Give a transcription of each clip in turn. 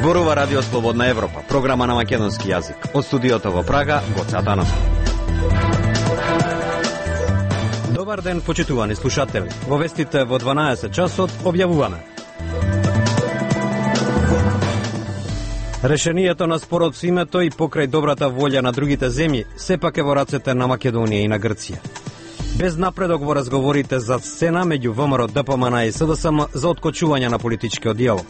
Зборува Радио Слободна Европа, програма на македонски јазик. Од студиото во Прага, Гоце Атанов. Добар ден, почитувани слушатели. Во вестите во 12 часот објавуваме. Решението на спорот со името и покрај добрата волја на другите земји сепак е во рацете на Македонија и на Грција. Без напредок во разговорите за сцена меѓу ВМРО, ДПМН и СДСМ за откочување на политичкиот диалог.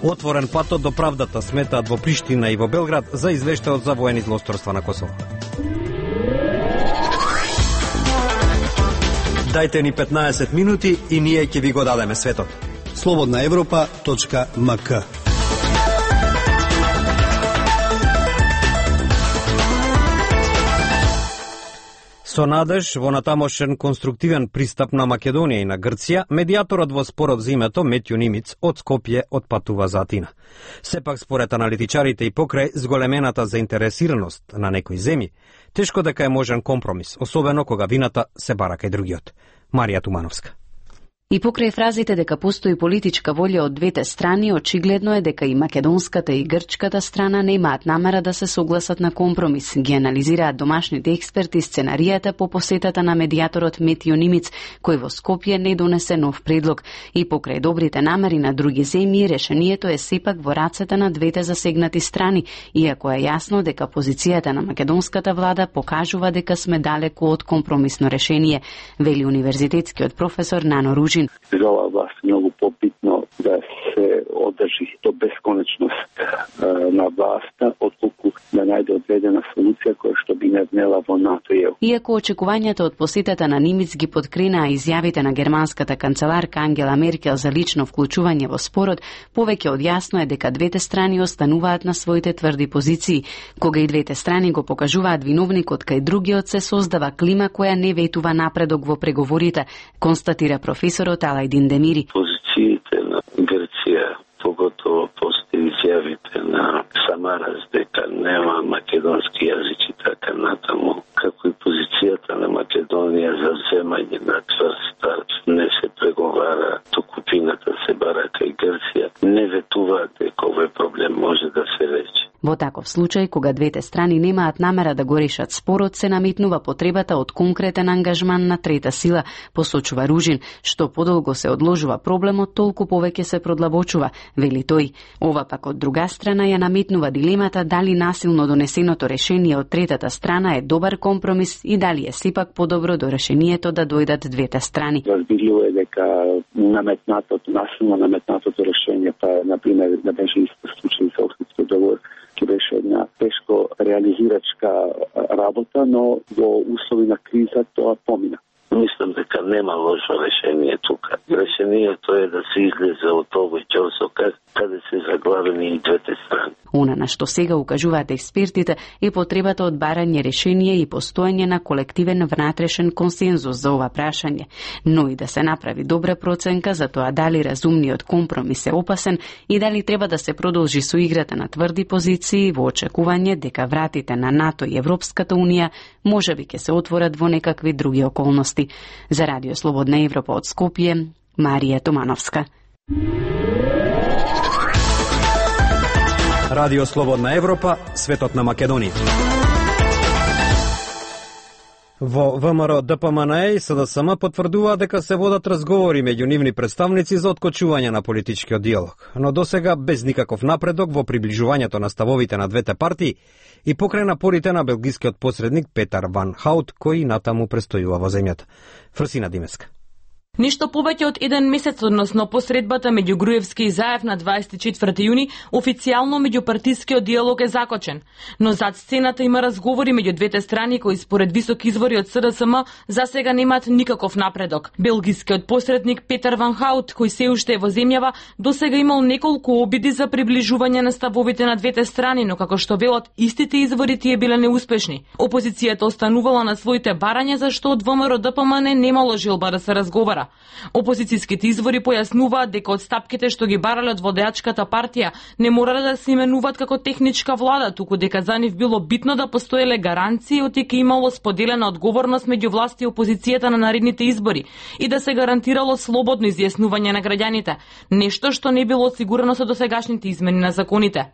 Отворен патот до правдата сметаат во Приштина и во Белград за извештајот за воени злосторства на Косово. Дајте ни 15 минути и ние ќе ви го дадеме светот. slobodnaevropa.mk. Со надеж во натамошен конструктивен пристап на Македонија и на Грција, медијаторот во спорот за името Метју Нимиц од Скопје отпатува за Атина. Сепак според аналитичарите и покрај зголемената заинтересираност на некои земји, тешко дека е можен компромис, особено кога вината се бара кај другиот. Марија Тумановска. И покрај фразите дека постои политичка волја од двете страни, очигледно е дека и македонската и грчката страна немаат намера да се согласат на компромис. Ги анализираат домашните експерти сценаријата по посетата на медијаторот Метју Нимиц, кој во Скопје не донесе нов предлог. И покрај добрите намери на други земји, решението е сепак во рацете на двете засегнати страни, иако е јасно дека позицијата на македонската влада покажува дека сме далеку од компромисно решение, вели универзитетскиот професор Нано Ружин. За ова власт многу побитно да се одржи до бесконечност на власта, отколку да најде одредена солуција која што би не внела во НАТО и ЕУ. Иако очекувањата од посетата на Нимиц ги подкринаа изјавите на германската канцеларка Ангела Меркел за лично вклучување во спорот, повеќе од јасно е дека двете страни остануваат на своите тврди позиции. Кога и двете страни го покажуваат виновникот кај другиот, се создава клима која не ветува напредок во преговорите, констатира професорот Алајдин Демири. Позициите на Грција, поготово после изјавите на Самарас дека нема македонски јазици така натаму, како и позицијата на Македонија за земање на тврд старт, не се преговара, туку пината се бара кај Грција, не ветуваат дека овој проблем може да се рече. Во таков случај, кога двете страни немаат намера да го решат спорот, се наметнува потребата од конкретен ангажман на трета сила, посочува Ружин. Што подолго се одложува проблемот, толку повеќе се продлабочува, вели тој. Ова пак од друга страна ја наметнува дилемата дали насилно донесеното решение од третата страна е добар компромис и дали е сепак подобро до решението да дојдат двете страни. Разбирливо е дека насилно наметнатото решение, па например да беше исто случај со Охридскиот договор, ќе беше една тешко реализирачка работа, но во услови на криза тоа помина. Мислам дека нема лошо решение тука. Решението е да се излезе од овој ќолсокак, каде се заглавени и двете страни. Она на што сега укажуваат експертите е потребата од барање решение и постоење на колективен внатрешен консензус за ова прашање, но и да се направи добра проценка за тоа дали разумниот компромис е опасен и дали треба да се продолжи со играта на тврди позиции во очекување дека вратите на НАТО и Европската Унија можеби ќе се отворат во некакви други околности. За Радио Слободна Европа од Скопје, Марија Тумановска. Радио Слободна Европа, светот на Македонија. Во ВМРО, ДПМН и СДСМ потврдува дека се водат разговори меѓу нивни представници за откочување на политичкиот диалог, но досега без никаков напредок во приближувањето на ставовите на двете партии и покрај напорите на белгискиот посредник Петар Ван Хаут, кој натаму престојува во земјата. Фрсина Димеска. Ништо повеќе од еден месец, односно посредбата меѓу Груевски и Заев на 24 јуни, официјално меѓупартискиот диалог е закочен. Но зад сцената има разговори меѓу двете страни кои според високи извори од СДСМ за сега немаат никаков напредок. Белгискиот посредник Петар Ван Хаут, кој се уште е во земјава, досега имал неколку обиди за приближување на ставовите на двете страни, но како што велат истите извори тие биле неуспешни. Опозицијата останувала на своите барања зашто од ВМРО ДПМН немало желба да се разговара. влада. Опозицијските извори појаснуваат дека отстапките што ги барале од водеачката партија не морале да се именуваат како техничка влада, туку дека за нив било битно да постоеле гаранции од дека имало споделена одговорност меѓу власт и опозицијата на наредните избори и да се гарантирало слободно изјаснување на граѓаните, нешто што не било осигурено со досегашните измени на законите.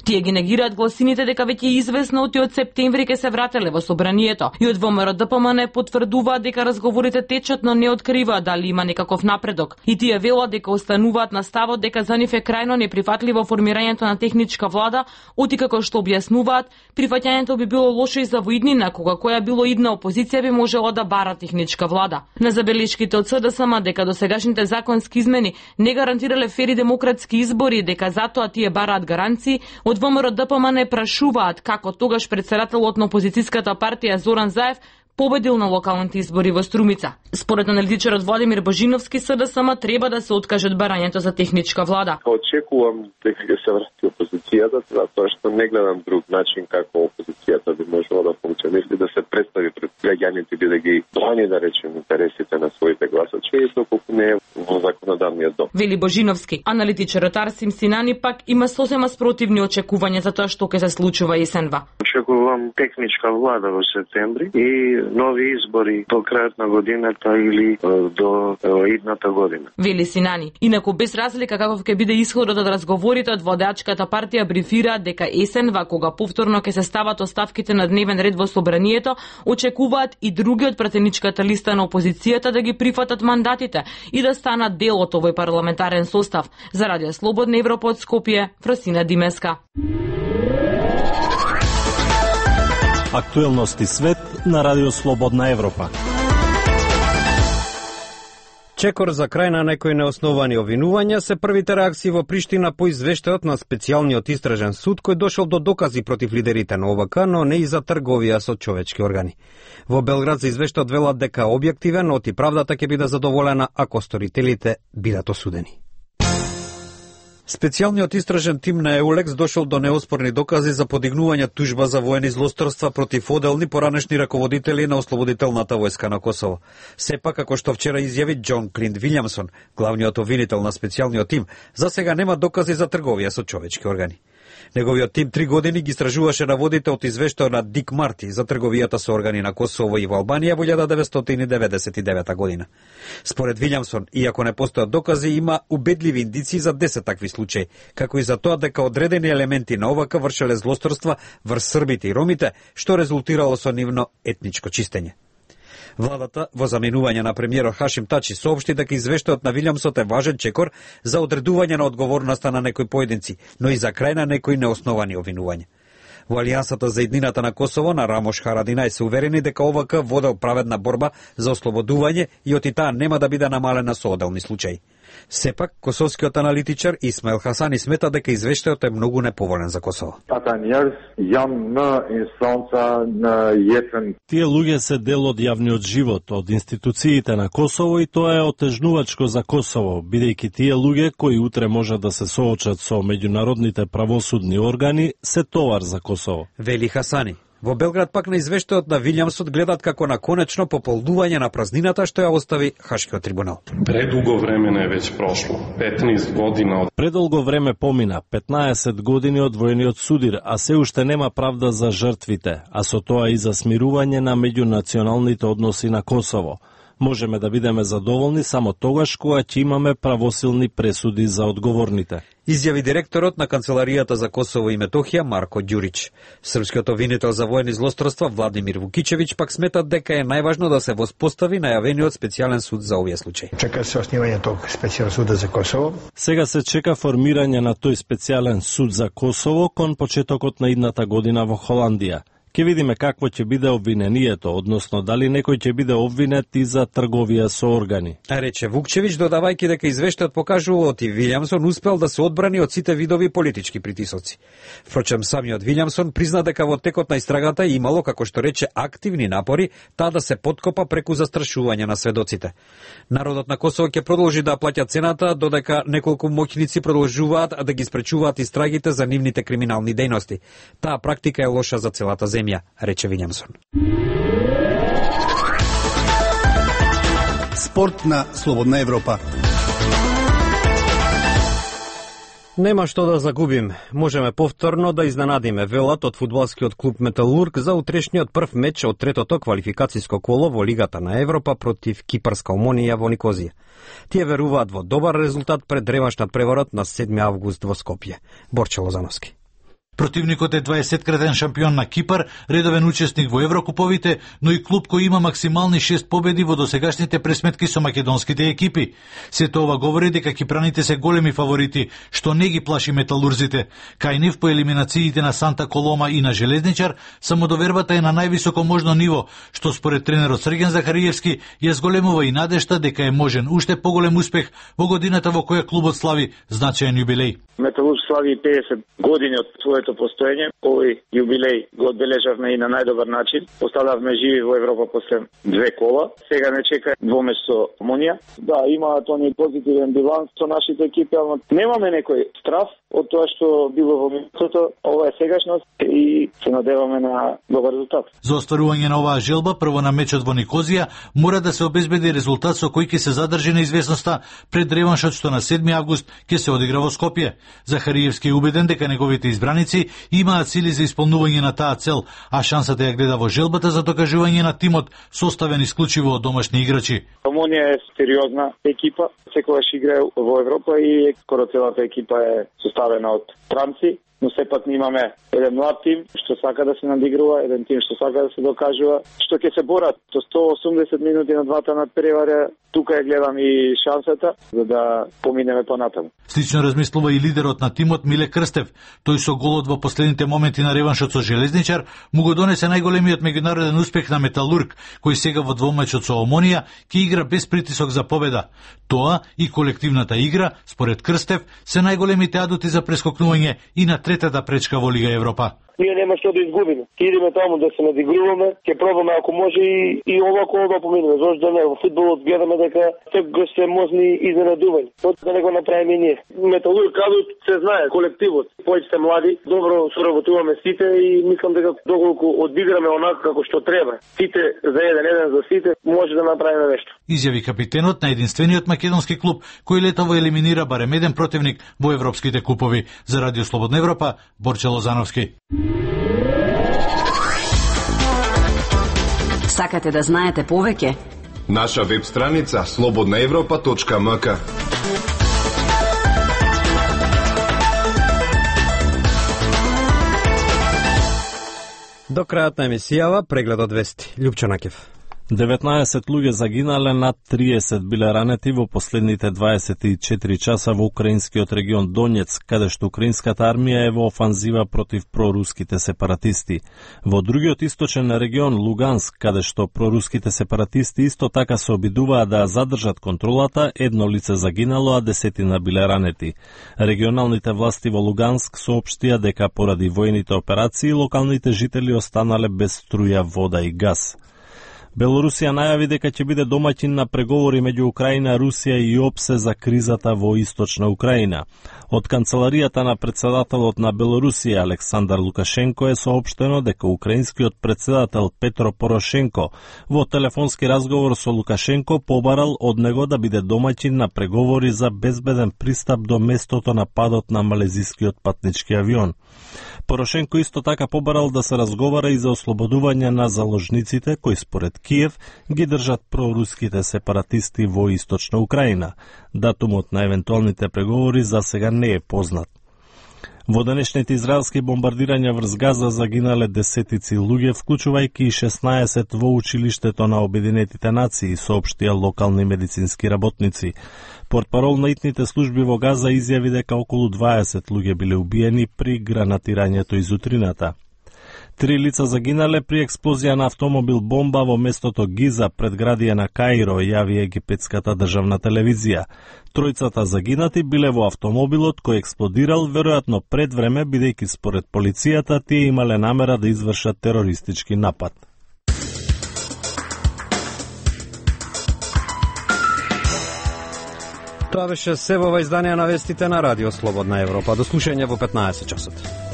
Тие ги негираат гласините дека веќе известно од септември ќе се врателе во собранието и од ВМРО ДПМН потврдуваат дека разговорите течат, но не откриваат дали има некаков напредок. И тие велат дека остануваат на ставот дека за нив е крајно неприфатливо формирањето на техничка влада, оти како што објаснуваат, прифаќањето би било лошо и за воиднина, кога која било идна опозиција би можела да бара техничка влада. На забелешките од СДСМ дека досегашните законски измени не гарантирале фери демократски избори, дека затоа тие бараат гаранции, од ВМРО ДПМН прашуваат како тогаш претседателот на опозицијската партија Зоран Заев победил на локалните избори во Струмица. Според аналитичарот Владимир Божиновски, СДСМ треба да се откаже од барањето за техничка влада. Очекувам дека ќе се врати опозицијата, затоа што не гледам друг начин како опозицијата би можела да функционира и да се представи пред граѓаните и да ги брани, да речем, интересите на своите гласачи, и доколку не е во законодавниот дом. Вели Божиновски. Аналитичарот Арсим Синани пак има сосема спротивни очекувања за тоа што ќе се случува есенва. Очекувам техничка влада во септември и нови избори до крајот на годината или до идната година. Вели Синани. Инаку без разлика каков ќе биде исходот од разговорите, од водеачката партија брифираат дека есенва, кога повторно ќе се стават оставките на дневен ред во собранието, очекуваат и други од пратеничката листа на опозицијата да ги прифатат мандатите и да станат дел од овој парламентарен состав. За Радио Слободна Европа од Скопје, Фросина Димеска. Актуелности свет на Радио Слободна Европа. Чекор за крај на некои неосновани обвинувања се првите реакции во Приштина по извештајот на специјалниот истражен суд кој дошол до докази против лидерите на ОВК, но не и за трговија со човечки органи. Во Белград за извештајот велат дека објективен, оти правдата ќе биде задоволена ако сторителите бидат осудени. Специјалниот истражен тим на ЕУЛЕКС дошол до неоспорни докази за подигнување тужба за воени злосторства против оделни поранешни раководители на ослободителната војска на Косово. Сепак, како што вчера изјави Џон Клинт Вилјамсон, главниот обвинител на специјалниот тим, за сега нема докази за трговија со човечки органи. Неговиот тим 3 години ги истражуваше наводите од извештајот на Дик Марти за трговијата со органи на Косово и во Албанија во 1999 година. Според Вилјамсон, иако не постојат докази, има убедливи индици за 10 такви случаи, како и за тоа дека одредени елементи на ОВК вршеле злосторства врз србите и ромите, што резултирало со нивно етничко чистење. Владата, во заменување на премиерот Хашим Тачи, соопшти дека извештајот на Вилјамсот е важен чекор за одредување на одговорноста на некои поединци, но и за крај на некои неосновани обвинувања. Во Алијансата за иднината на Косово на Рамош Харадинај се уверени дека ОВК водел праведна борба за ослободување и оти таа нема да биде намалена со оделни случаи. Сепак, косовскиот аналитичар Исмаил Хасани смета дека извештајот е многу неповолен за Косово. Тие луѓе се дел од јавниот живот, од институциите на Косово и тоа е отежнувачко за Косово, бидејќи тие луѓе кои утре можат да се соочат со меѓународните правосудни органи се товар за Косово. Вели Хасани. Во Белград пак на извештајот на Вилјамсот гледат како на конечно пополнување на празнината што ја остави Хашкиот трибунал. Предуго време не веќе прошло. 15 година. Предолго време помина, 15 години од војниот судир, а се уште нема правда за жртвите, а со тоа и за смирување на меѓунационалните односи на Косово. Можеме да бидеме задоволни само тогаш кога ќе имаме правосилни пресуди за одговорните. Изјави директорот на Канцеларијата за Косово и Метохија Марко Ѓурич. Српскиот обвинител за воени злосторства Владимир Вукичевиќ пак сметат дека е најважно да се воспостави најавениот специјален суд за овие случаи. Чека се основање тог специјален суд за Косово. Сега се чека формирање на тој специјален суд за Косово кон почетокот на идната година во Холандија. Ке видиме какво ќе биде обвинението, односно дали некој ќе биде обвинет и за трговија со органи. Рече Вукчевиќ, додавајќи дека извештајот покажува оти Вилјамсон успел да се одбрани од сите видови политички притисоци. Впрочем, самиот Вилјамсон призна дека во текот на истрагата имало, како што рече, активни напори таа да се подкопа преку застрашување на сведоците. Народот на Косово ќе продолжи да плаќа цената, додека неколку моќници продолжуваат да ги спречуваат истрагите за нивните криминални дејности. Таа практика е лоша за целата земја, рече Вилјамсон. Спорт на Слободна Европа. Нема што да загубим. Можеме повторно да изненадиме, велат од фудбалскиот клуб Металург за утрешниот прв меч од третото квалификациско коло во Лигата на Европа против Кипарска Омонија во Никозија. Тие веруваат во добар резултат пред реваншна преворот на 7 август во Скопје. Борче Лозановски. Противникот е 20-кратен шампион на Кипар, редовен учесник во Еврокуповите, но и клуб кој има максимални 6 победи во досегашните пресметки со македонските екипи. Сето ова говори дека кипраните се големи фаворити, што не ги плаши металурзите. Кај нив по елиминациите на Санта Колома и на Железничар, самодовербата е на највисоко можно ниво, што според тренерот Срген Захариевски ја зголемува и надежта дека е можен уште поголем успех во годината во која клубот слави значаен јубилеј. Металург слави 50 години од своето постоење. Овој јубилеј го одбележавме и на најдобар начин. Останавме живи во Европа после 2 кола. Сега не чека двомеч со Омонија. Да, имаат они позитивен биланс со нашите екипи, ама немаме некој страф од тоа што било во минатото. Ова е сегашност и се надеваме на добар резултат. За остварување на оваа желба, прво на мечот во Никозија, мора да се обезбеди резултат со кој ќе се задржи неизвестноста пред реваншот што на 7 август ќе се одигра во Скопје. Захариевски е убеден дека неговите избраници имаат сили за исполнување на таа цел, а шансата ја гледа во желбата за докажување на тимот составен исклучиво од домашни играчи. Омонија е сериозна екипа, секогаш играе во Европа и скоро целата екипа е составена од странци, но сепак имаме еден млад тим што сака да се надигрува, еден тим што сака да се докажува, што ќе се борат до 180 минути на двата надпревари. Тука ја гледам и шансата за да поминеме понатаму. Слично размислува и лидерот на тимот Миле Крстев. Тој со голот во последните моменти на реваншот со Железничар му го донесе најголемиот меѓународен успех на Металург, кој сега во двомечот со Омонија ќе игра без притисок за победа. Тоа и колективната игра, според Крстев, се најголемите адути за прескокнување и на третата пречка во Лига Европа. Ние нема што да изгубиме. Идеме таму да се надигруваме, ќе пробаме ако може и ова кола да поминеме. Зошто не? Во фудбалот гледаме дека секогаш се можни изненадувања. Тоа да не го направиме и ние. Металург кадот се знае, колективот. Повеќе млади, добро соработуваме сите и мислам дека доколку одиграме онака како што треба, сите за еден за сите, може да направиме нешто. Изјави капитенот на единствениот македонски клуб кој летово елиминира барем еден противник во европските купови. За Радио Слободна Европа, Борче Лозановски. Сакате да знаете повеќе? Наша веб страница slobodnaevropa.mk. До крајот на емисијава преглед од вести. Љупчо Накев. 19 луѓе загинале, над 30 биле ранети во последните 24 часа во украинскиот регион Донец, каде што украинската армија е во офанзива против проруските сепаратисти. Во другиот источен регион Луганск, каде што проруските сепаратисти исто така се обидуваат да задржат контролата, едно лице загинало, а 10 биле ранети. Регионалните власти во Луганск соопштија дека поради војните операции локалните жители останале без струја, вода и газ. Белорусија најави дека ќе биде домаќин на преговори меѓу Украина, Русија и ОПСЕ за кризата во источна Украина. Од канцеларијата на председателот на Белорусија Александар Лукашенко е соопштено дека украинскиот председател Петро Порошенко во телефонски разговор со Лукашенко побарал од него да биде домаќин на преговори за безбеден пристап до местото на падот на малезискиот патнички авион. Порошенко исто така побарал да се разговара и за ослободување на заложниците кои според Киев ги држат проруските сепаратисти во источна Украина. Датумот на евентуалните преговори за сега не е познат. Во денешните израелски бомбардирања врз Газа загинале десетици луѓе, вклучувајќи и 16 во училиштето на Обединетите нации, соопштија локални медицински работници. Портпарол на итните служби во Газа изјави дека околу 20 луѓе биле убиени при гранатирањето изутрината. 3 лица загинале при експлозија на автомобил бомба во местото Гиза пред градија на Каиро, јави египетската државна телевизија. Тројцата загинати биле во автомобилот кој експлодирал веројатно пред време, бидејќи според полицијата тие имале намера да извршат терористички напад. Тоа беше се во издание на вестите на Радио Слободна Европа. До слушање во 15 часот.